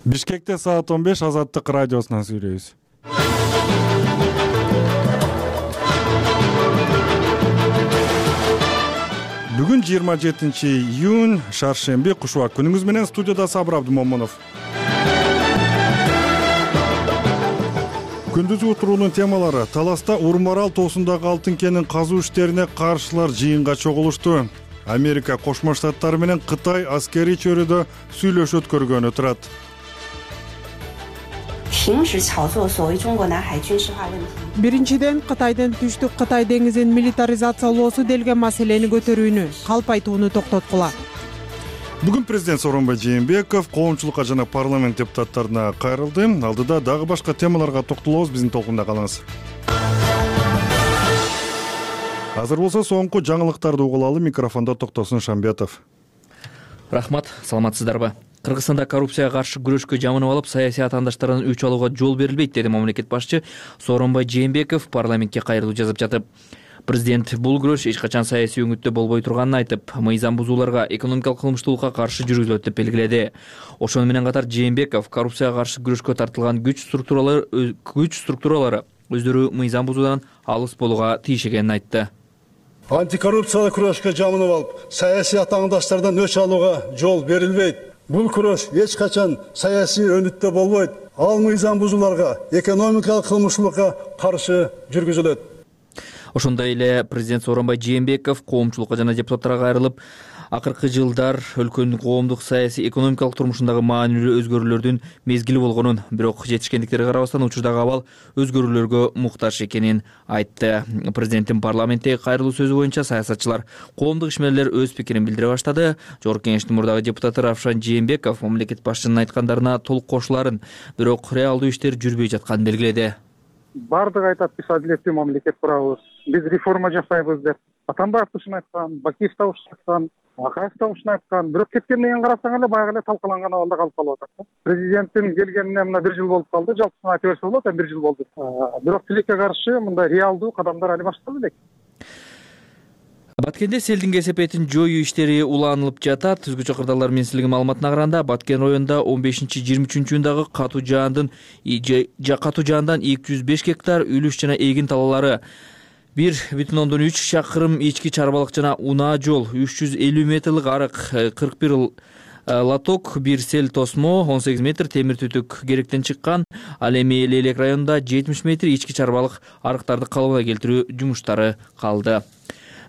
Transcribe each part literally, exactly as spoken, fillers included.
Бишкекте саат он беш Азаттык радиосунан сүйлөйбүз. Бүгүн жыйырма жетинчи июнь, шаршемби, кушубак күнүңүз менен студияда Сабыр Абдымомунов. Күндүзгү уктуруунун темалары: Таласта Урмарал тоосундагы алтын кенин казуу иштерине каршылар жыйынга чогулушту. Америка Кошмо Штаттары менен Кытай аскерий чөйрөдө сүйлөшүү өткөргөнү турат. Биринчиден, Кытайдын Түштүк Кытай деңизин милитаризациялоосу делген маселени көтөрүүнү, калп айтууну токтоткула. Бүгүн президент Сооронбай Жээнбеков коомчулукка жана парламент депутаттарына кайрылды. Алдыда дагы башка темаларга токтолобуз, биздин толкунда калыңыз. Азыр болсо соңку жаңылыктарды угулалы. Микрофондо Токтосун Шамбетов. Рахмат, саламатсыздарбы? Кыргызстанда коррупцияга каршы күрөшкө жамынып алып, саясий атаандаштардан өч алууга жол берилбейт, деди мамлекет башчы Сооронбай Жээнбеков парламентке кайрылуу жазып жатып. Президент бул күрөш эч качан саясий өңүттө болбой турганын айтып, мыйзам бузууларга, экономикалык кылмыштуулукка каршы жүргүзүлөт деп белгиледи. Ошону менен катар Жээнбеков коррупцияга каршы күрөшкө тартылган күч структуралары күч структуралары өздөрү мыйзам бузуудан алыс болууга тийиш экенин айтты. Антикоррупциялык күрөшкө жамынып алып, саясий атаандаштардан өч алууга жол берилбейт. Бул күрөш эч качан саясий өнүттө болбойт. Ал мыйзам бузууларга, экономикалык кылмыштуулукка каршы жүргүзүлөт. Ошондой эле президент Сооронбай Жээнбеков коомчулукка жана депутаттарга кайрылып, акыркы жылдар өлкөнүн коомдук, саясий, экономикалык турмушундагы маанилүү өзгөрүүлөрдүн мезгили болгонун, бирок жетишкендиктерге карабастан учурдагы абал өзгөрүүлөргө муктаж экенин айтты. Президенттин парламенттеги кайрылуу сөзү боюнча саясатчылар, коомдук ишмерлер өз пикирин билдире баштады. Жогорку кеңештин мурдагы депутаты Равшан Жээнбеков мамлекет башчынын айткандарына толук кошуларын, бирок реалдуу иштер жүрбөй жатканын белгиледи. Бардыгы айтат, биз адилеттүү мамлекет курабыз, биз реформа жасайбыз деп. Атамбаев да ушуну айткан, Бакиев да ушуну айткан, Акаев да ушуну айткан. Бирок кеткен менен карасаң эле баягы эле талкаланган абалда калып калып атат. Президенттин келгенине мына бир жыл болуп калды, жалпысына айта берсе болот, бир жыл болду. Бирок тилекке каршы мындай реалдуу кадамдар али башталды элек. Баткенде селдин кесепетин жоюу иштери уланылып жатат. Түзгүчү кырдаалдар министрлиги маалыматына караганда, Баткен районунда он бешинчи жыйырма үчүнчү июндагы катуу жаандын катуу жаандан эки жүз беш гектар үлүш жана эгин талаалары, бир бүтүн ондон үч чакырым ички чарбалык жана унаа жол, үч жүз элүү метрлик арык, кырк бир лоток, бир сел тосмо, он сегиз метр темир түтүк керектен чыккан. Ал эми Лейлек районунда жетимиш метр ички чарбалык арыктарды калыбына келтирүү жумуштары калды.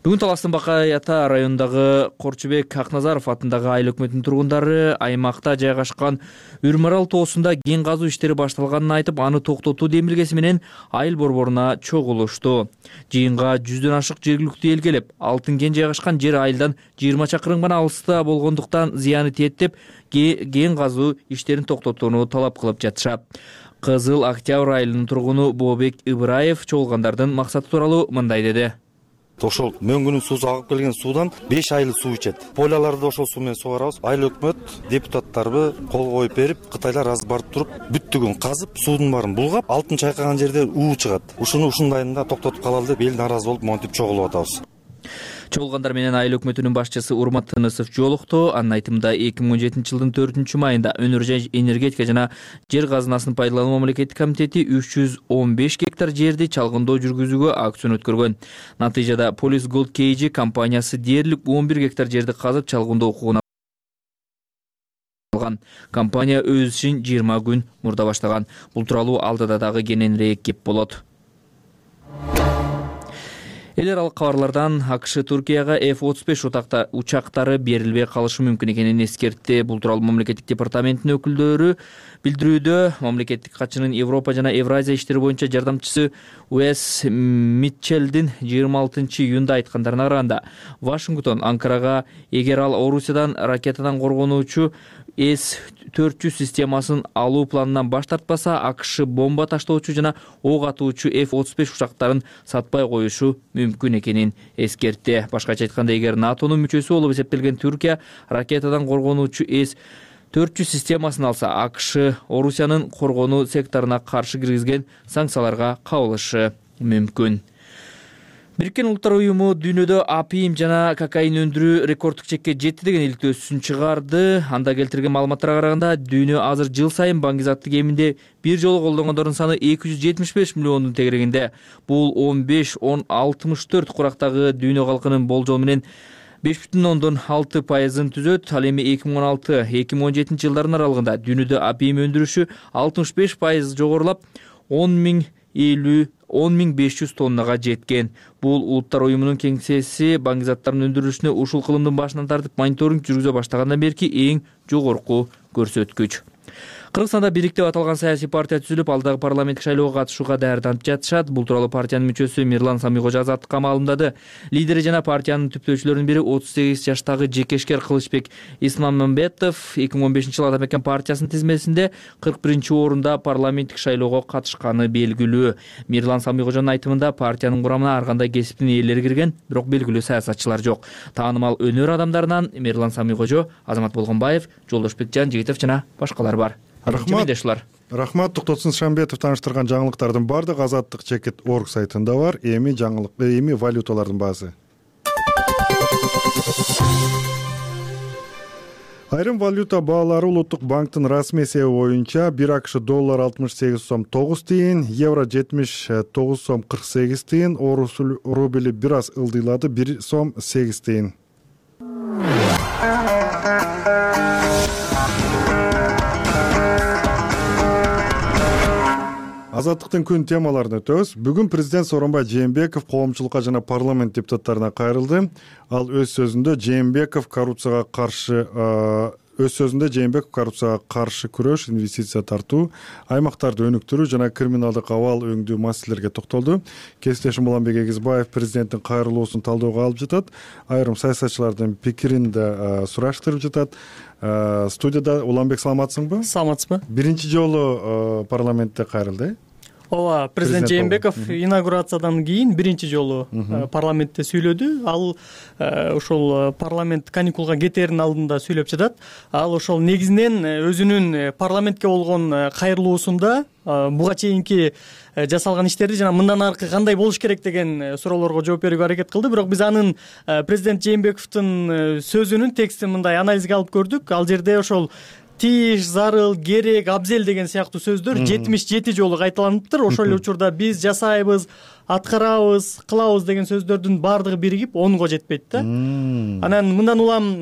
Бүгүн Таластын Бакай Ата районундагы Корчубек Акназаров атындагы айыл өкмөтүнүн тургундары аймакта жайгашкан Үрмарал тоосунда кен казуу иштери башталганын айтып, аны токтотуу демилгеси менен айыл борборуна чогулушту. Жыйынга жүздөн ашык жергиликтүү эл келип, алтын кен жайгашкан жер айылдан жыйырма чакырым гана алыста болгондуктан зыяны тиет деп кен казуу иштерин токтотууну талап кылып жатышат. Кызыл Октябрь айылынын тургуну Бообек Ыбыраев чогулгандардын максаты тууралуу мындай деди. Ошол мөңгүнүн суусу агып келген суудан беш айыл суу ичет. Пойлаларды ошол суу менен сугарабыз. Айыл өкмөт депутаттарыбы кол коюп берип, Кытайлар аз барып туруп, бүттүгүн казып, суудун баарын булгап, алтын чайкаган жерде уу чыгат. Ушуну ушундайында токтотуп калалы деп эл нааразы болуп монтип чогулуп атабыз. Чогулгандар менен айыл өкмөтүнүн башчысы Урмат Тынысов жолукту. Анын айтымында эки миң он жетинчи жылдын төртүнчү майында Өнөр энергетика жана жер казынасын пайдалануу мамлекеттик комитети үч жүз он беш гектар жерди чалгындоо жүргүзүүгө аукцион өткөргөн. Натыйжада Police Gold кей джи компаниясы дээрлик он бир гектар жерди казып чалгындоо укугун алган. Компания өз ишин жыйырма күн мурда баштаган. Бул тууралуу алдыда дагы кененирээк кеп болот. Эл аралык кабарлардан АКШ Туркияга эф отуз беш учактары берилбей калышы мүмкүн экенин эскертти. Бул тууралуу мамлекеттик департаменттин өкүлдөрү билдирүүдө. Мамлекеттик катчынын Европа жана Евразия иштери боюнча жардамчысы Уэс Митчелдин жыйырма алтынчы июнда айткандарына караганда, Вашингтон Анкарага эгер ал Орусиядан ракетадан коргонуучу эс төрт жүз системасын алуу планынан баш тартпаса, АКШ бомба таштоочу жана ок атуучу эф отуз беш учактарын сатпай коюшу мүмкүн экенин эскертти. Башкача айтканда, эгер НАТОнун мүчөсү болуп эсептелген Түркия ракетадан коргонуучу эс төрт жүз системасын алса, АКШ Орусиянын коргонуу секторуна каршы киргизген санкцияларга кабылышы мүмкүн. Бириккен Улуттар уюму дүйнөдө апиим жана кокаин өндүрүү рекорддук чекке жетти деген иликтөөсүн чыгарды. Анда келтирген маалыматтарга караганда, дүйнө азыр жыл сайын баңгизатты кеминде бир жолу колдонгондордун саны эки жүз жетимиш беш миллиондун тегерегинде. Бул он беш он алтымыш төрт курактагы дүйнө калкынын болжол менен беш бүтүн ондон алты пайызын түзөт. Ал эми эки миң он алты эки миң он жетинчи жылдардын аралыгында дүйнөдө апиим өндүрүшү алтымыш беш пайыз жогорулап, он миң элүү он миң беш жүз тоннага жеткен. Бул Улуттар уюмунун кеңсеси баңгизаттардын өндүрүлүшүнө ушул кылымдын башынан тартып мониторинг жүргүзө баштагандан берки эң жогорку көрсөткүч. Кыргызстанда Бирик деп аталган саясий партия түзүлүп, алдагы парламенттик шайлоого катышууга даярданып жатышат. Бул тууралуу партиянын мүчөсү Мирлан Самийкожо Азаттыкка маалымдады. Лидери жана партиянын түптөөчүлөрүнүн бири отуз сегиз жаштагы Жекешкер Кылычбек Исмамбетов эки миң он бешинчи жылы Ата мекен партиясынын тизмесинде кырк биринчи орунда парламенттик шайлоого катышканы белгилүү. Мирлан Самийкожонун айтымында, партиянын курамына ар кандай кесиптин ээлери кирген, бирок белгилүү саясатчылар жок. Таанымал өнөр адамдарынан Мирлан Самийкожо, Азамат Болгонбаев, Жолдошбекжан Жигитов жана башкалар бар. Рахмат. Рахмат. Токтосун Шамбетов тааныштырган жаңылыктардын бардыгы Азаттык чекит точка орг сайтында бар. Эми жаңылык, эми валюталардын баасы. Айрым валюта баалары Улуттук банктын расмий эсеби боюнча бир АКШ доллар алтымыш сегиз сом тогуз тыйын, евро жетимиш тогуз сом кырк сегиз тыйын, орус рубли бир аз ылдыйлады, бир сом сегиз тыйын. Азаттыктын күн темаларын өтөбүз. Бүгүн президент Сооронбай Жээнбеков коомчулукка жана парламент депутаттарына кайрылды. Ал өз сөзүндө Жээнбеков коррупцияга каршы өз сөзүндө Жээнбеков коррупцияга каршы күрөш, инвестиция тартуу, аймактарды өнүктүрүү жана криминалдык абал өңдүү маселелерге токтолду. Кесиптешим Уланбек Эгизбаев президенттин кайрылуусун талдөөгө алып жатат. Айрым саясатчылардын пикирин да сураштырып жатат. Студияда Уланбек, саламатсыңбы? Саламатсызбы? Биринчи жолу парламентте кайрылды. Ооба, президент Жээнбеков инаугурациядан кийин биринчи жолу парламентте сүйлөдү. Ал ошол парламент каникулга кетеринин алдында сүйлөп жатат. Ал ошол негизинен өзүнүн парламентке болгон кайрылуусунда буга чейинки жасалган иштерди жана мындан аркы кандай болуш керек деген суроолорго жооп берүүгө аракет кылды. Бирок биз анын президент Жээнбековдун сөзүнүн текстин мындай анализге алып көрдүк. Ал жерде ошол тиеш, зарыл, керек, абзел деген сыяктуу сөздөр жетимиш жети жолу кайталаныптыр. Ошол эле учурда биз жасайбыз, аткарабыз, кылабыз деген сөздөрдүн баардыгы биригип онго жетпейт да. Анан мындан улам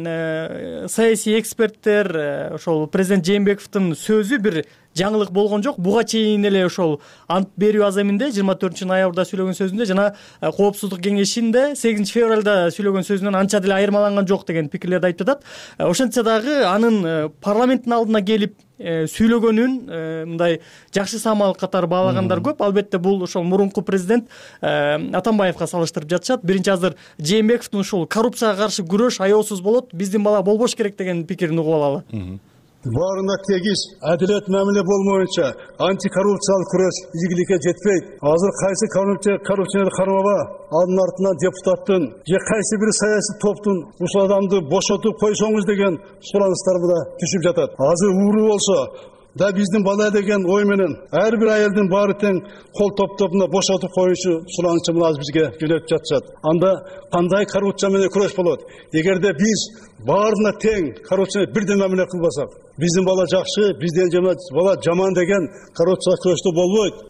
саясий эксперттер ошол президент Жээнбековдун сөзү бир жаңылык болгон жок. Буга чейин эле ошол ант берүү аземинде жыйырма төртүнчү ноябрда сүйлөгөн сөзүндө жана Коопсуздук кеңешинде сегизинчи февралда сүйлөгөн сөзүнөн анча деле айырмаланган жок деген пикирлерди айтып жатат. Ошентсе дагы анын парламенттин алдына келип сүйлөгөнүн мындай жакшы самал катары баалагандар көп. Албетте бул ошол мурунку президент Атамбаевга салыштырып жатышат. Биринчи азыр Жээнбековдун ушул коррупцияга каршы күрөш аеосуз болот, биздин бала болбош керек деген пикирин угуп алалы. Баарына тегиз адилет мамиле болмоюнча антикоррупциялык күрөш ийгиликке жетпейт. Азыр кайсы коррупционер кармаба анын артынан депутаттын же кайсы бир саясий топтун ушул адамды бошотуп койсоңуз деген суранычтар да түшүп жатат. Азыр ууру болсо да биздин бала деген ой менен ар бир айылдын баары тең кол топтоп мына бошотуп коюшу суранычы мына азыр бизге жөнөтүп жатышат. Анда кандай коррупция менен күрөш болот? Эгерде биз баарына тең коррупцияны бирден мамиле кылбасак, биздин бала жакшы, бизден бала жаман деген коррупцияга күрөштө болбойт.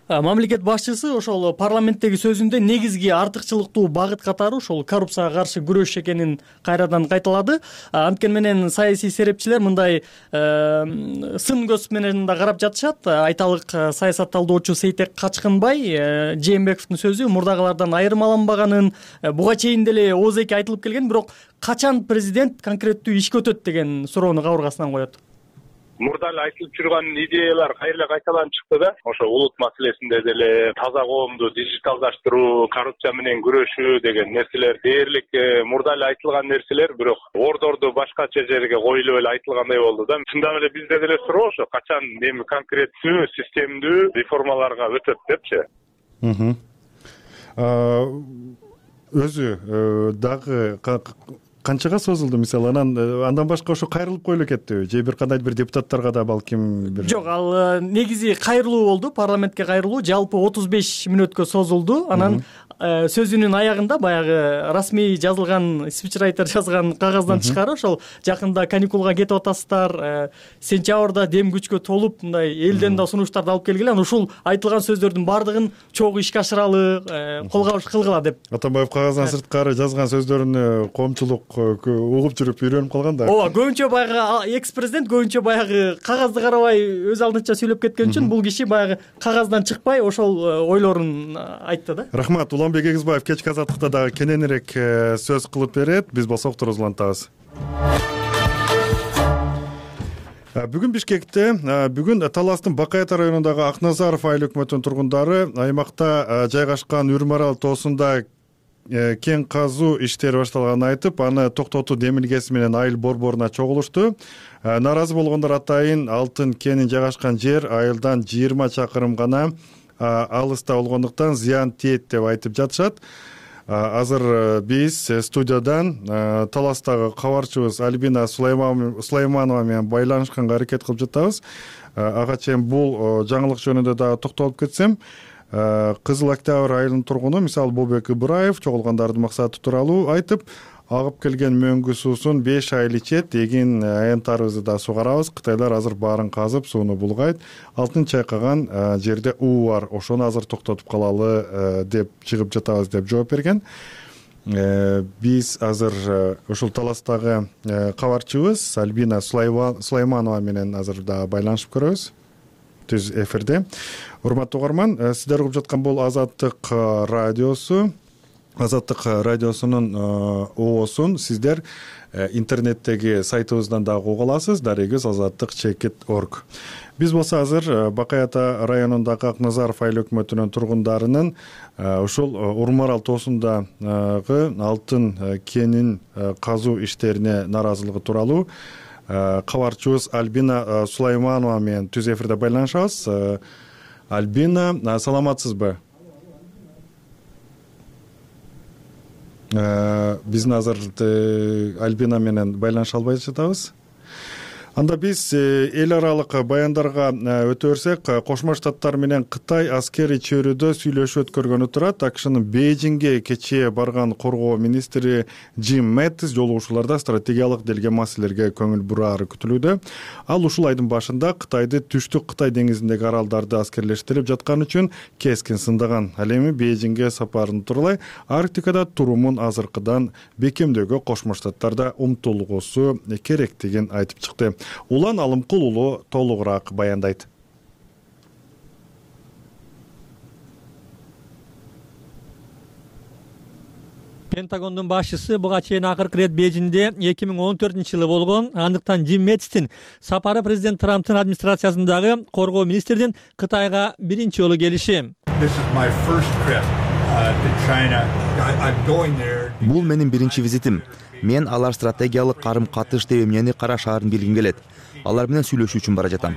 Мамлекет башчысы ошол парламенттеги сөзүндө негизги артыкчылыктуу багыт катары ошол коррупцияга каршы күрөш экенин кайрадан кайталады. Анткени менен саясий серепчилер мындай сын көз менен да карап жатышат. Айталык саясат талдоочу Сейтек Качкынбай Жээнбековдун сөзү мурдагылардан айырмаланбаганын, буга чейин деле ооз эки айтылып келген, бирок качан президент конкреттүү ишке өтөт деген суроону кабыргасынан коет. Мурда эле айтылып жүргөн идеялар кайра кайталанып чыкты да. Ошо улут маселесинде деле таза коомду дижиталдаштыруу, коррупция менен күрөшүү деген нерселер дээрлик мурда эле айтылган нерселер, бирок ордорду башкача жерге коюлуп эле айтылгандай болду да. Чындап эле бизде деле суроо ошо качан эми конкреттүү, системдүү реформаларга өтөт депчи. Өзү дагы канчага созулду мисалы анан андан башка ошо кайрылып коюла кетти же бир кандайдыр бир депутаттарга да балким бир жок, ал негизи кайрылуу болду, парламентке кайрылуу жалпы отуз беш мүнөткө созулду. Анан сөзүнүн аягында баягы расмий жазылган спичрайтер жазган кагаздан тышкары ошол жакында каникулга кетип атасыздар, сентябрда дем күчкө толуп мындай элден да сунуштарды алып келгиле, анан ушул айтылган сөздөрдүн баардыгын чогуу ишке ашыралы, колго кылгыла деп. Атамбаев кагаздан сырткары жазган сөздөрүнө коомчулук угуп жүрүп үйрөнүп калган да. ооба, көбүнчө баягы экс президент көбүнчө баягы кагазды карабай өз алдынча сүйлөп кеткен үчүн бул киши баягы кагаздан чыкпай ошол ойлорун айтты да. Рахмат. Уланбек Эгизбаев кечки азаттыкта дагы кененирээк сөз кылып берет. Биз болсо уктур улантабыз. Бүгүн Бишкекте, бүгүн Таластын Бакай ата районундагы Акназаров айыл өкмөтүнүн тургундары аймакта жайгашкан Үрмарал тоосунда кен казуу иштери башталганын айтып, аны токтотуу демилгеси менен айыл борборуна чогулушту. Наразы болгондор атайын алтын кенин жайгашкан жер айылдан жыйырма чакырым гана алыста болгондуктан зыян тиет деп айтып жатышат. Азыр биз студиядан Таластагы кабарчыбыз Альбина Сулайманова менен байланышканга аракет кылып жатабыз. Ага чейин бул жаңылык жөнүндө дагы токтолуп кетсем, Кызыл Октябрь айылынын тургуну мисалы Болбек Ыбыраев чогулгандардын максаты тууралуу айтып, агып келген мөңгү суусун беш айыл ичет, эгин аянттарыбызды да сугарабыз. Кытайлар азыр баарын казып, сууну булгайт. Алтын чайкаган жерде уу бар, ошону азыр токтотуп калалы деп чыгып жатабыз деп жооп берген. Биз азыр ушул Таластагы кабарчыбыз Альбина Сулайманова менен азыр да байланышып көрөбүз. Түз эфирде. Урматтуу угарман, сиздер угуп жаткан бул Азаттык радиосу. Азаттык радиосунун оосун сиздер интернеттеги сайтыбыздан дагы уга аласыз. Дарегиз азаттык чекит точка орг. Биз болсо азыр Бакай ата районундагы Акназаров айыл өкмөтүнүн тургундарынын ушул Урмарал тоосундагы алтын кенин казуу иштерине наразылыгы тууралуу кабарчыбыз Альбина Сулайманова менен түз эфирде байланышабыз. Альбина, саламатсызбы? Биздин азыр Альбина менен байланыша албай жатабыз. Анда биз эл аралык баяндарга өтө берсек, Кошмо Штаттар менен Кытай аскерий чөйрөдө сүйлөшүү өткөргөнү турат. АКШнын Бейжиңге кечээ барган коргоо министри Джим Мэттис жолугушууларда стратегиялык делген маселелерге көңүл бурары күтүлүүдө. Ал ушул айдын башында Кытайды түштүк Кытай деңизиндеги аралдарды аскерлештирип жаткан үчүн кескин сындаган. Ал эми Бейжиңге сапарын тууралай Арктикада турумун азыркыдан бекемдөөгө Кошмо Штаттарда умтулгусу керектигин айтып чыкты. Улан Алымкул уулу толугураак баяндайт. Пентагондун башчысы буга чейин акыркы ирет Бейжиңде эки миң он төртүнчү жылы болгон. Андыктан Джим Мэттистин сапары президент Трамптын администрациясындагы коргоо министринин Кытайга биринчи жолу келиши. Бул менин биринчи визитим. Мен алар стратегиялык карым-катыш деп эмнени карашаарын билгим келет. Алар менен сүйлөшүү үчүн бара жатам.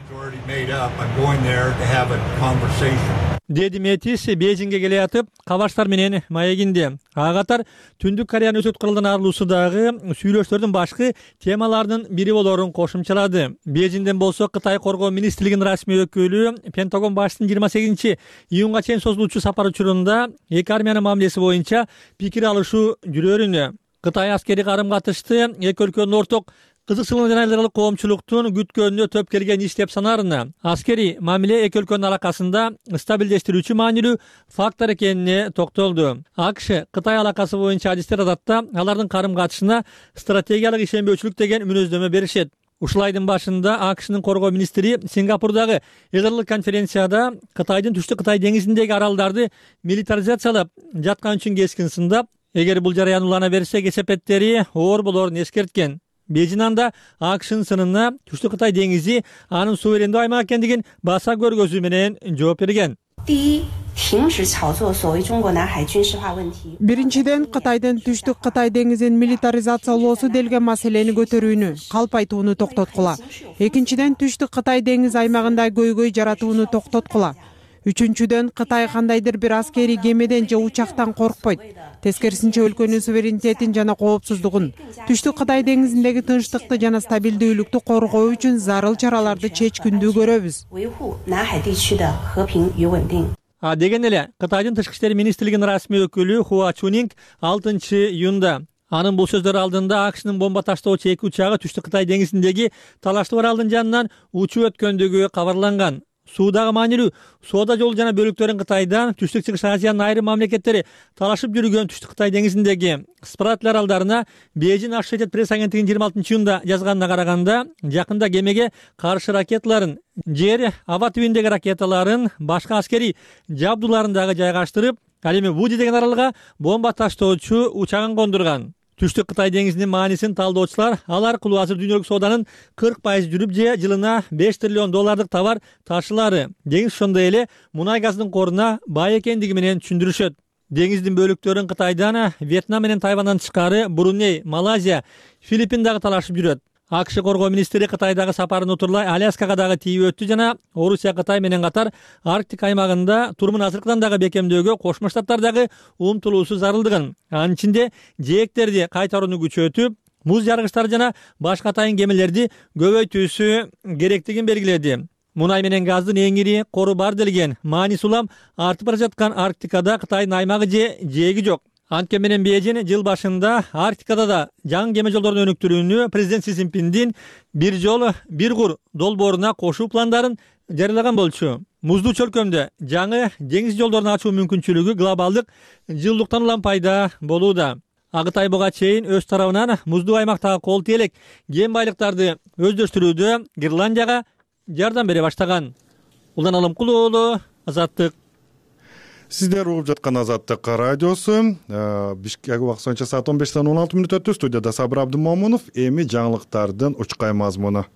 Деди Мэттис Бейжиңге келе жатып, кабарчтар менен маегинде. Ага катар Түндүк Кореянын өсөт куралдан арылуусундагы сүйлөшүүлөрдүн башкы темаларынын бири болорун кошумчалады. Бейжиңден болсо Кытай коргоо министрлигинин расмий өкүлү Пентагон башчысынын жыйырма сегизинчи июнга чейин созулуучу сапар учурунда эки армиянын мамилеси боюнча пикир алышуу жүрөрүнө. Кытай аскери карым-катышты эки өлкөнүн орток кызыкчылыгын жана эл аралык коомчулуктун күткөнүнө төп келген иш деп санаарына. Аскери мамиле эки өлкөнүн аракасында стабилдештирүүчү маанилүү фактор экенине токтолду. АКШ Кытай алакасы боюнча адистер адатта алардын карым-катышына стратегиялык ишенбөөчүлүк деген мүнөздөмө беришет. Ушул айдын башында АКШнын коргоо министри Сингапурдагы эл аралык конференцияда Кытайдын түштүк Кытай деңизиндеги аралдарды милитаризациялап жаткан үчүн кескин сындап, эгер бул жараян улана берсе кесепеттери оор болорун эскерткен. Бейжиң анда АКШнын сынына түштүк Кытай деңизи анын суверендүү аймак экендигин баса көргөзүү менен жооп берген. Биринчиден, Кытайдын түштүк Кытай деңизин милитаризациялоосу делген маселени көтөрүүнү, калпайтууну токтоткула. Экинчиден, түштүк Кытай деңиз аймагында көйгөй жаратууну токтоткула. Үчүнчүдөн, Кытай кандайдыр бир аскерий кемеден же учактан коркпойт. Тескерисинче өлкөнүн суверенитетин жана коопсуздугун, Түштүк Кытай деңизиндеги тынчтыкты жана стабилдүүлүктү коргоо үчүн зарыл чараларды чечкиндүү көрөбүз. А деген эле Кытайдын тышкы иштер министрлигинин расмий өкүлү Хуа Чунинг алтынчы июнда анын бул сөздөр алдында АКШнын бомба таштоочу эки учагы Түштүк Кытай деңизиндеги талаштуу аралдын жанынан учуп өткөндүгү кабарланган. Суудагы маанилүү соода жолу жана бөлүктөрүн Кытайдан Түштүк Чыгыш Азиянын айрым мамлекеттери талашып жүргөн Түштүк Кытай деңизиндеги Спратл аралдарына Бейжин Associated Press агенттигинин жыйырма алтынчы июнда жазганына караганда, жакында кемеге каршы ракеталарын, жер аба түбүндөгү ракеталарын, башка аскерий жабдууларын дагы жайгаштырып, ал эми Вуди деген аралга бомба таштоочу учагын кондурган. Түштүк Кытай деңизинин маанисин талдоочулар ал аркылуу азыр дүйнөлүк сооданын кырк пайыз жүрүп же жылына беш триллион доллардык товар ташылары, деңиз ошондой эле мунай газдын коруна бай экендиги менен түшүндүрүшөт. Деңиздин бөлүктөрүн Кытайдан, Вьетнам менен Тайвандан тышкары Бруней, Малайзия, Филиппин дагы талашып жүрөт. АКШ коргоо министри Кытайдагы сапарын утурлай Аляскага дагы тийип өттү жана Орусия Кытай менен катар Арктик аймагында турумун азыркыдан дагы бекемдөөгө Кошмо Штаттардагы умтулуусу зарылдыгын, анын ичинде жээктерди кайтарууну күчөтүп, муз жаргычтар жана башка атайын кемелерди көбөйтүүсү керектигин белгиледи. Мунай менен газдын эң ири кору бар делген Манис улам артып бара жаткан Арктикада Кытайдын аймагы же жээги жок. Анткени менен Бейжин жыл башында Арктикада да жаңы кеме жолдорун өнүктүрүүнү президент Си Цзиньпиндин бир жол бир кур долбооруна кошуу пландарын жарыялаган болчу. Муздуу чөлкөмдө жаңы деңиз жолдорун ачуу мүмкүнчүлүгү глобалдык жылуулуктан улам пайда болууда. Ак Ай буга чейин өз тарабынан муздуу аймактагы кол теелек кен байлыктарды өздөштүрүүдө Ирландияга жардам бере баштаган. Улан Алымкул уулу, Азаттык. Сиздер угуп жаткан Азаттык радиосу. Бишкек убакыт боюнча саат он бештен он алты мүнөт өттү. Студияда Сабыр Абдымомунов. Эми жаңылыктардын учкай мазмуну.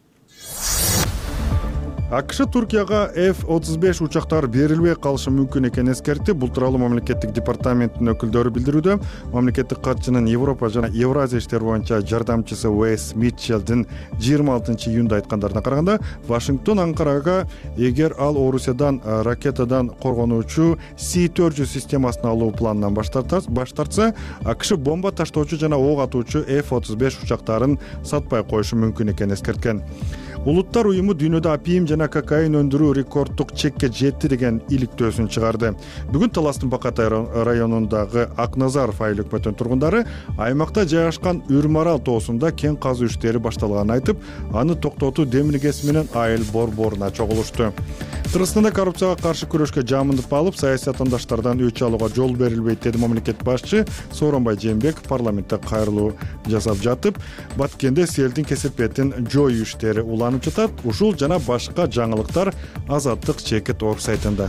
АКШ Туркияга эф отуз беш учактар берилбей калышы мүмкүн экенин эскертти. Бул тууралуу мамлекеттик департаменттин өкүлдөрү билдирүүдө. Мамлекеттик катчынын Европа жана Евразия иштери боюнча жардамчысы Уэйс Митчелдин жыйырма алтынчы июнда айткандарына караганда, Вашингтон Анкарага эгер ал Орусиядан ракетадан коргонуучу Си төрт жүз системасын алуу планынан баш тартса, АКШ бомба таштоочу жана ок атуучу эф отуз беш учактарын сатпай коюшу мүмкүн экенин эскерткен. Улуттар уюму дүйнөдө апийим жана кокаин өндүрүү рекорддук чекке жетти деген иликтөөсүн чыгарды. Бүгүн Таластын Бакатай районундагы Акназаров айыл өкмөтүнүн тургундары аймакта жайгашкан Үрмарал тоосунда кен казуу иштери башталганын айтып, аны токтотуу демилгеси менен айыл борборуна чогулушту. Кыргызстанда коррупцияга каршы күрөшкө жамындып алып, саясий атаандаштардан өч алууга жол берилбейт деди мамлекет башчы Сооронбай Жээнбеков парламентте кайрылуу жасап жатып, Баткенде селдин кесепетин жоюу иштери уланып жатат. Ушул жана башка жаңылыктар Азаттык чекит орг сайтында.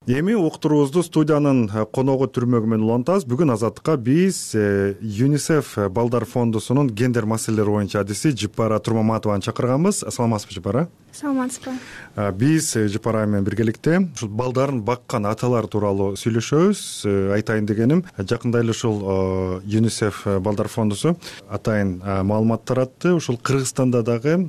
Эми уктуруубузду студиянын коногу түрмөгү менен улантабыз. Бүгүн Азаттыкка биз ЮНИСЕФ балдар фондусунун гендер маселелери боюнча адиси Жыпара Турмаматованы чакырганбыз. Саламатсызбы, Жыпара? Саламатсызбы. Биз Жыпара менен биргеликте ушул балдарын баккан аталар тууралуу сүйлөшөбүз. Айтайын дегеним, жакында эле ушул ЮНИСЕФ балдар фондусу атайын маалымат таратты. Ушул Кыргызстанда дагы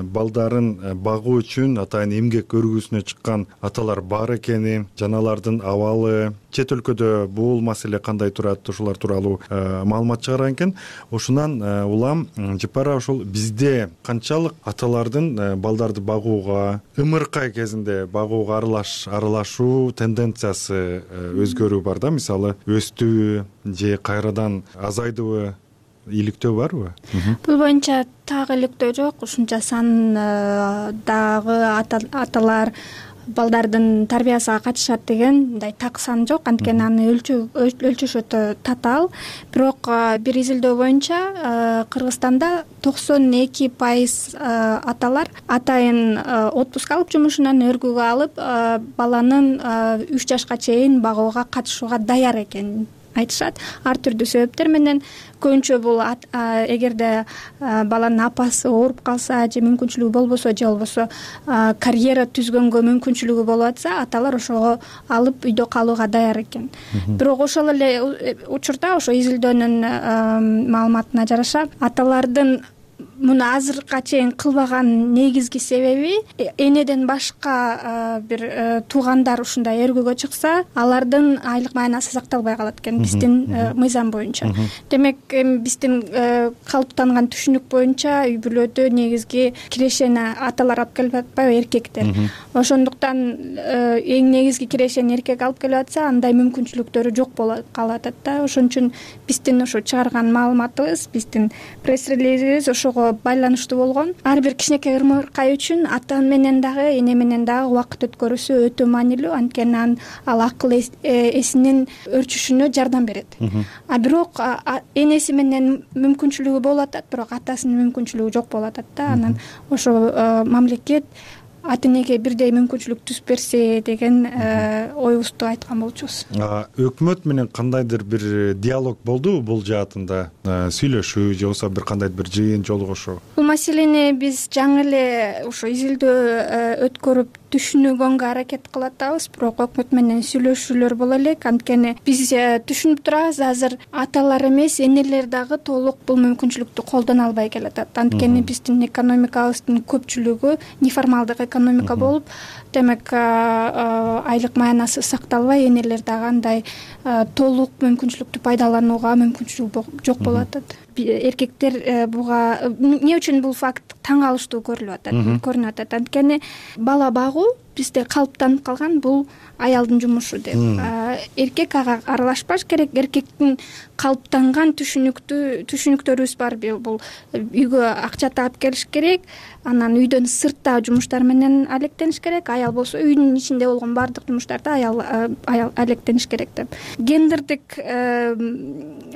балдарын багуу үчүн атайын эмгек өргүүсүнө чыккан аталар бар экени, жаналардын абалы, чет өлкөдө бул маселе кандай турат, ушулар тууралуу маалымат чыгарган экен. Ошонан улам Жыпара ушул бизде канчалык аталардын балдарды багууга, ымыркай кезинде багууга аралаш аралашуу тенденциясы өзгөрүү бар да, мисалы өстүбү же кайрадан азайдыбы, иликтөө барбы? Бул боюнча так иликтөө жок. Ушунча сан дагы аталар балдардын тарбиясына катышат деген мындай так сан жок, анткени аны өлчөш өтө татаал. Бирок бир изилдөө боюнча Кыргызстанда токсон эки пайыз аталар атайын отпуск алып, жумушунан өргүүгө алып, баланын үч жашка чейин багууга катышууга даяр экенин айтышат. Ар түрдүү себептер менен. Көбүнчө бул эгерде баланын апасы ооруп калса же мүмкүнчүлүгү болбосо, же болбосо карьера түзгөнгө мүмкүнчүлүгү болуп атса, аталар ошого алып үйдө калууга даяр экен. Бирок ошол эле учурда ошо изилдөөнүн маалыматына жараша аталардын муну азыркыга чейин кылбаган негизги себеби энеден башка бир туугандар ушундай өргөгө чыкса алардын айлык маянасы сакталбай калат экен биздин мыйзам боюнча. Демек биздин калыптанган түшүнүк боюнча үй бүлөдө негизги кирешени аталар алып келип атпайбы, эркектер. Ошондуктан эң негизги кирешени эркек алып келип атса андай мүмкүнчүлүктөрү жок болуп калат да. Ошон үчүн биздин ошо чыгарган маалыматыбыз, биздин пресс-релизибиз ошого байланыштуу болгон. Ар бир кичинекей ырмыркай үчүн ата менен дагы эне менен дагы убакыт өткөрүүсү өтө маанилүү, анткени ал акыл эсинин өрчүшүнө жардам берет. А бирок энеси менен мүмкүнчүлүгү болуп атат, бирок атасынын мүмкүнчүлүгү жок болуп атат да. Анан ошо мамлекет ата энеге бирдей мүмкүнчүлүк түзүп берсе деген оюбузду айткан болчубуз. Өкмөт менен кандайдыр бир диалог болдубу бул жаатында? Сүйлөшүү же болбосо бир кандайдыр бир жыйын жолугушуу? Бул маселени биз жаңы эле ошо изилдөө өткөрүп түшүнүүгөнгө аракет кылып атабыз, бирок өкмөт менен сүйлөшүүлөр боло элек. Анткени биз түшүнүп турабыз, азыр аталар эмес, энелер дагы толук бул мүмкүнчүлүктү колдоно албай келатат. Анткени биздин экономикабыздын көпчүлүгү неформалдык экономика болуп, демек айлык маянасы сакталбай, энелер дагы андай толук мүмкүнчүлүктү пайдаланууга мүмкүнчүлүк жок болуп атат. Эркектер буга эмне үчүн бул факт таң калыштуу көрүлүп атат, көрүнүп атат? Анткени бала багуу бизде калыптанып калган, бул аялдын жумушу деп. Эркек ага аралашпаш керек. Эркектин калыптанган түшүнүктүү түшүнүктөрүбүз бар. Бул үйгө акча таап келиш керек, анан үйдөн сыртта жумуштар менен алектениш керек. Аял болсо үйдүн ичинде болгон баардык жумуштарды аял аял алектениш керек деп. Гендердик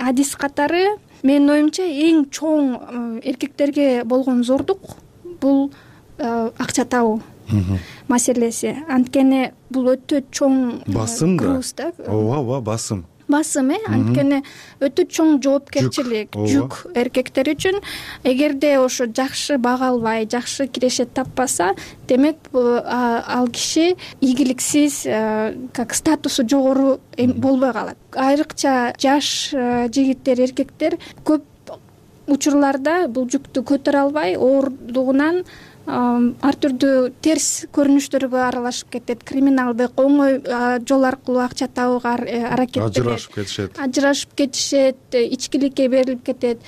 адис катары менин оюмча эң чоң эркектерге болгон зордук бул акча табуу маселеси. Анткени бул өтө чоң басым да. Ооба, ооба, басым. Басым, э, анткени өтө чоң жоопкерчилик, жүк эркектер үчүн. Эгерде ошо жакшы бага албай, жакшы киреше таппаса, демек ал киши ийгиликсиз, как статусу жогору болбой калат. Айрыкча жаш жигиттер, эркектер көп учурларда бул жүктү көтөрө албай, ооругунан ар түрдүү терс көрүнүштөргө аралашып кетет, криминалдык оңой жол аркылуу акча табууга аракет берет, ажырашып кетишет, ажырашып кетишет, ичкиликке берилип кетет.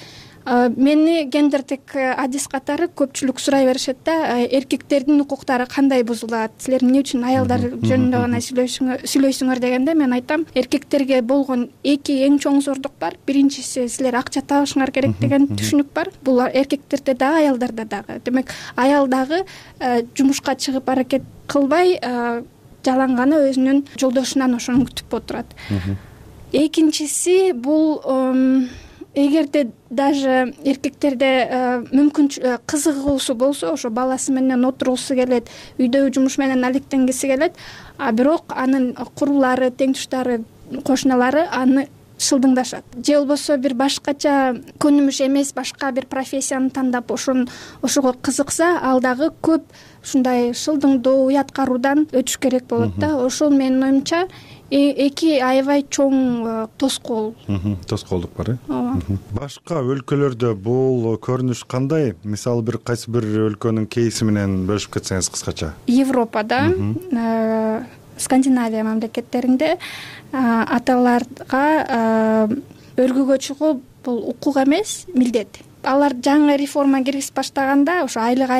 Мени гендердик адис катары көпчүлүк сурай беришет да, эркектердин укуктары кандай бузулат, силер эмне үчүн аялдар жөнүндө гана сүйлөйсүңөр дегенде мен айтам, эркектерге болгон эки эң чоң зордук бар. Биринчиси, силер акча табышыңар керек деген түшүнүк бар. Бул эркектерде дагы, аялдарда дагы. Демек аял дагы жумушка чыгып аракет кылбай, жалаң өзүнүн жолдошунан ошону күтүп отурат. Экинчиси, бул эгерде даже эркектерде мүмкүн кызыгуусу болсо, ошо баласы менен отургусу келет, үйдөгү жумуш менен алектенгиси келет, а бирок анын курулары, тең туштары, кошуналары аны шылдыңдашат. Же болбосо бир башкача көнүмүш эмес башка бир профессияны тандап ошон ошого кызыкса, ал дагы көп ушундай шылдыңдоо, уят каруудан өтүш керек болот да. Ошол менин оюмча эки аябай чоң тоскоол. Тоскоолдук бар, э? Ооба. Башка өлкөлөрдө бул көрүнүш кандай? Мисалы бир кайсы бир өлкөнүн кейси менен бөлүшүп кетсеңиз кыскача. Европада, Скандинавия мамлекеттеринде аталарга өргөгө чыгуу бул укук эмес, милдет. Алар жаңы реформа киргизип баштаганда ошо айлык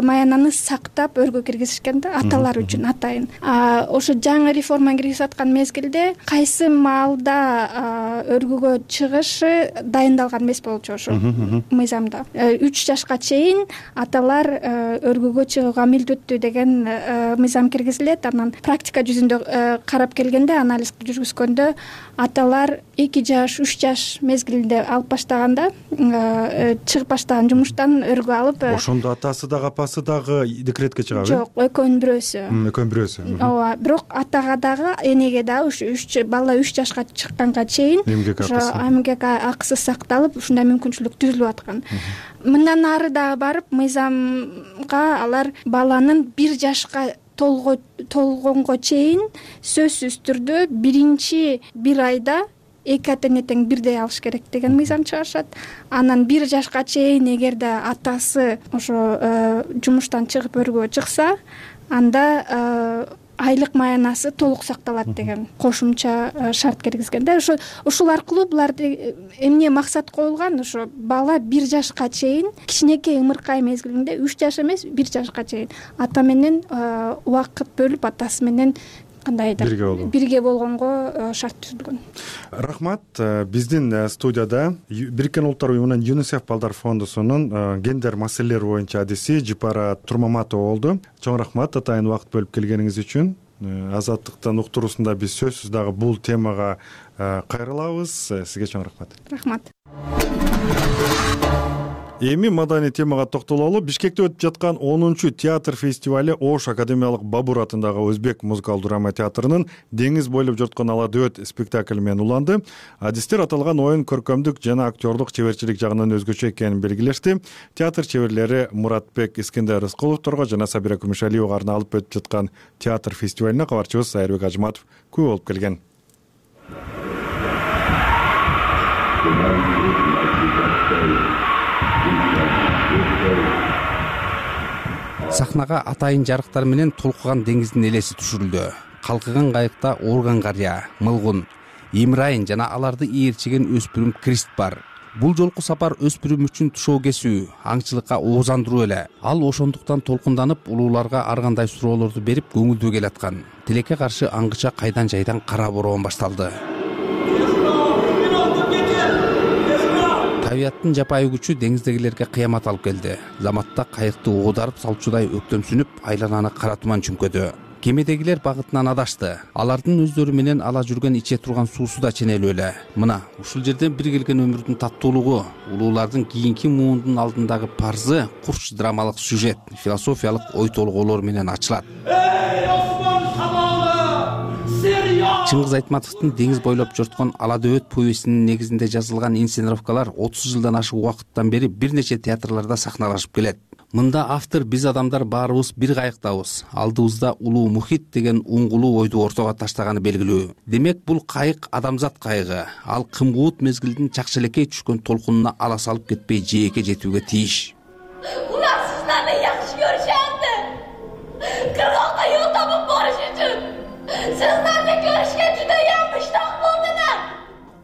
маянаны сактап өргө киргизишкен да, аталар үчүн атайын. Ошо жаңы реформа киргизип аткан мезгилде кайсы маалда өргөгө чыгышы дайындалган эмес болчу ошо мыйзамда. үч жашка чейин аталар өргөгө чыгууга милдеттүү деген мыйзам киргизилет. Анан практика жүзүндө карап келгенде, анализ жүргүзгөндө аталар эки жаш, үч жаш мезгилинде алып баштаганда, чыгып баштаган жумуштан өргө алып, ошондо атасы дагы апасы дагы декретке чыгабы? Жок, экөөнүн бирөөсү. Экөөнүн бирөөсү. Ооба, бирок атага дагы, энеге дагы үч бала үч жашка чыкканга чейин ошо эмгек акысы сакталып, ушундай мүмкүнчүлүк түзүлүп аткан. Мындан ары дагы барып, мыйзамга алар баланын бир жашка толгонго чейин сөзсүз түрдө биринчи бир айда эки ата эне тең бирдей алыш керек деген мыйзам чыгарышат. Анан бир жашка чейин эгерде атасы ошо жумуштан чыгып өргө чыкса, анда айлык маянасы толук сакталат деген кошумча шарт киргизген да. Ошо ушул аркылуу буларды эмне максат коюлган, ошо бала бир жашка чейин, кичинекей ымыркай мезгилинде, үч жаш эмес, бир жашка чейин ата менен убакыт бөлүп, атасы менен кандайдыр бирге болгонго шарт түзүлгөн. Рахмат. Биздин студияда Бириккен Улуттар уюмунун ЮНИСЕФ балдар фондусунун гендер маселелери боюнча адиси Жипара Турмаматова болду. Чоң рахмат атайын убакыт бөлүп келгениңиз үчүн. Азаттыктын уктуруусунда биз сөзсүз дагы бул темага кайрылабыз. Сизге чоң рахмат. Рахмат. Эми маданий темага токтололу. Бишкекте өтүп жаткан онунчу театр фестивали Ош академиялык Бабур атындагы Өзбек музыкалдык драма театрынын Деңиз бойлоп жорткон ала дөөт спектакль менен уланды. Адистер аталган оюн көркөмдүк жана актерлук чеберчилик жагынан өзгөчө экенин белгилешти. Театр чеберлери Муратбек Искендер Рыскуловторго жана Сабира Күмүшалиевага арналып өтүп жаткан театр фестивалине кабарчыбыз Айырбек Ажматов күбө болуп келген. Сахнага атайын жарыктар менен толкуган деңиздин элеси түшүрүлдү. Калкыган кайыкта Орган карыя, Мылгун, Имрайын жана аларды ээрчиген өспүрүм Крист бар. Бул жолку сапар өспүрүм үчүн тушоо кесүү, аңчылыкка оозандыруу эле. Ал ошондуктан толкунданып, улууларга ар кандай суроолорду берип көңүлдүү келаткан. Тилекке каршы аңгыча кайдан жайдан кара бороон башталды. Табияттын жапайы күчү деңиздегилерге кыямат алып келди. Заматта кайыкты оодарып салчудай өктөмсүнүп, айлананы кара туман чүңкөдү. Кемедегилер багытынан адашты. Алардын өздөрү менен ала жүргөн иче турган суусу да ченелүү эле. Мына, ушул жерден бир келген өмүрдүн таттуулугу, улуулардын кийинки муундун алдындагы парзы курч драмалык сюжет, философиялык ой толгоолор менен ачылат. Чыңгыз Айтматовдун Деңиз бойлоп жорткон ала дөөт повестинин негизинде жазылган инсценировкалар отуз жылдан ашык убакыттан бери бир нече театрларда сахналашып келет. Мында автор биз адамдар баарыбыз бир кайыктабыз, алдыбызда улуу мухит деген уңгулуу ойду ортого таштаганы белгилүү. Демек бул кайык адамзат кайыгы. Ал кымгуут мезгилдин чакчелекей түшкөн толкунуна ала салып кетпей жээкке жетүүгө тийиш. Улар сиздерни жакшы көрүшөт. Кыргакка жол табып барыш үчүн сиздерни көрүшкө жуда ямыштак болдулар.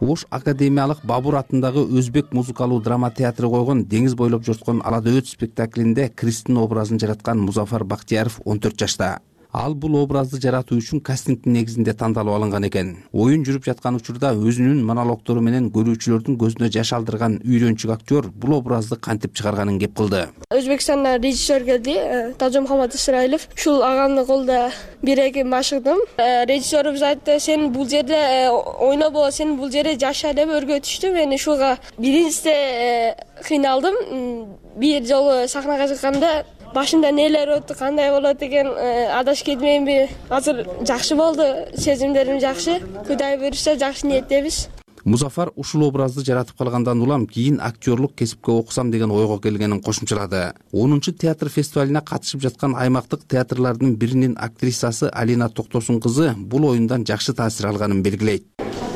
Ош академиялык Бабур атындагы Өзбек музыкалуу драма театры койгон Деңиз бойлоп жорткон ала дөөт спектаклинде Кристин образын жараткан Музафар Бактияров он төрт жашта. Ал бул образды жаратуу үчүн кастингдин негизинде тандалып алынган экен. Оюн жүрүп жаткан учурда өзүнүн монологдору менен көрүүчүлөрдүн көзүнө жаш алдырган үйрөнчүк актер бул образды кантип чыгарганын кеп кылды. Өзбекстандан режиссер келди, Тажомухаммад Исраилов. Ушул агамдын колунда бир эки машыгдым. Режиссерубуз айтты, сен бул жерде ойнобо, сен бул жерде жаша деп өргөтүштү. Мен ушуга биринчиде кыйналдым. Бир жолу сахнага чыкканда башымда нелер өттү, кандай болот деген адаш кетмейинби? Азыр жакшы болду, сезимдерим жакшы. Кудай буйруса жакшы ниеттебиз. Музафар ушул образды жаратып калгандан улам кийин актерлук кесипке окусам деген ойго келгенин кошумчалады. онунчу театр фестивалине катышып жаткан аймактык театрлардын биринин актрисасы Алина Токтосун кызы бул оюндан жакшы таасир алганын белгилейт.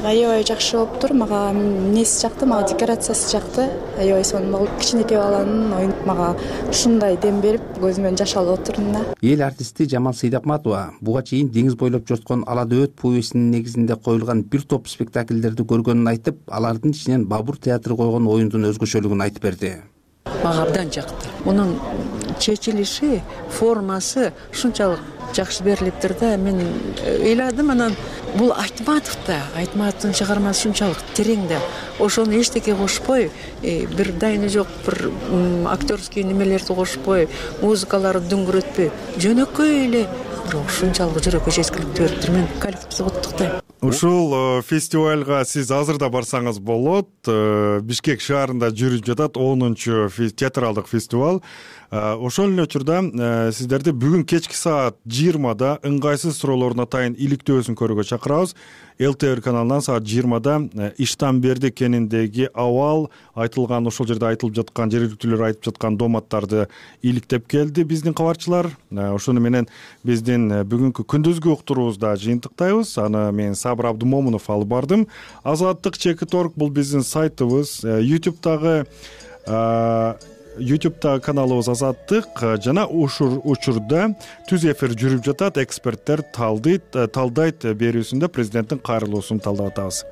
Аябай жакшы болуптур. Мага эмнеси жакты, мага декорациясы жакты. Аябай сонун кичинекей баланын оюну мага ушундай дем берип, көзүмөн жаш алып отурдум да. Эл артисти Жамал Сейдакматова буга чейин Деңиз бойлоп жорткон ала дөөт повестинин негизинде коюлган бир топ спектакльдерди көргөнүн айтып, алардын ичинен Бабур театры койгон оюндун өзгөчөлүгүн айтып берди. Мага абдан жакты. Мунун чечилиши, формасы ушунчалык жакшы берилиптир да. Мен ыйладым, анан бул Айтматов да, Айтматовдун чыгармасы ушунчалык терең да. Ошону эчтеке кошпой, бир дайыны жок бир актерский немелерди кошпой, музыкаларды дүңгүрөтпөй, жөнөкөй эле бирок ушунчалык жүрөккө жеткиликтүү бериптир. Мен коллективди куттуктайм. Ушул фестивалга сиз азыр да барсаңыз болот. Бишкек шаарында жүрүп жатат онунчу театралдык фестиваль. Ошол эле учурда сиздерди бүгүн кечки саат жыйырмада ыңгайсыз суроолордун атайын иликтөөсүн көрүүгө чакырабыз. эл тэ эр каналынан саат жыйырмада Иштанберди кениндеги абал айтылган, ошол жерде айтылып жаткан, жергиликтүүлөр айтып жаткан доматтарды иликтеп келди биздин кабарчылар. Ошону менен биздин бүгүнкү күндүзгү уктуруубузда жыйынтыктайбыз. Аны мен Сабыр Абдумомунов алып бардым. Азаттык чекит точка орг бул биздин сайтыбыз. YouTube'дагы YouTube'да каналыбыз Азаттык жана ушур учурда түз эфир жүрүп жатат. Эксперттер талдайт талдайт берүүсүндө президенттин кайрылуусун талдап атабыз.